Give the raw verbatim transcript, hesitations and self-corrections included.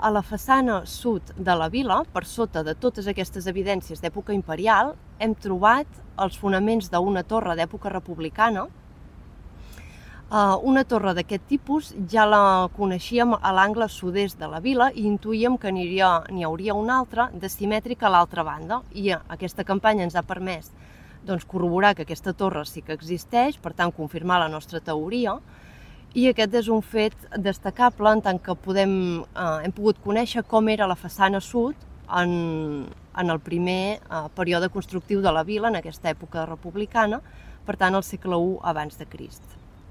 A la façana sud de la vila, per sota de totes aquestes evidències d'època imperial, hem trobat els fonaments d'una torre d'època republicana. Una torre d'aquest tipus ja la coneixíem a l'angle sud-est de la vila i intuïem que n'hi hauria una altra de simètrica a l'altra banda, i aquesta campanya ens ha permès corroborar que aquesta torre sí que existeix, per tant confirmar la nostra teoria. I aquest és un fet destacable en tant que hem pogut conèixer com era la façana sud en el primer període constructiu de la vila, en aquesta època republicana, per tant al segle u abans de Crist.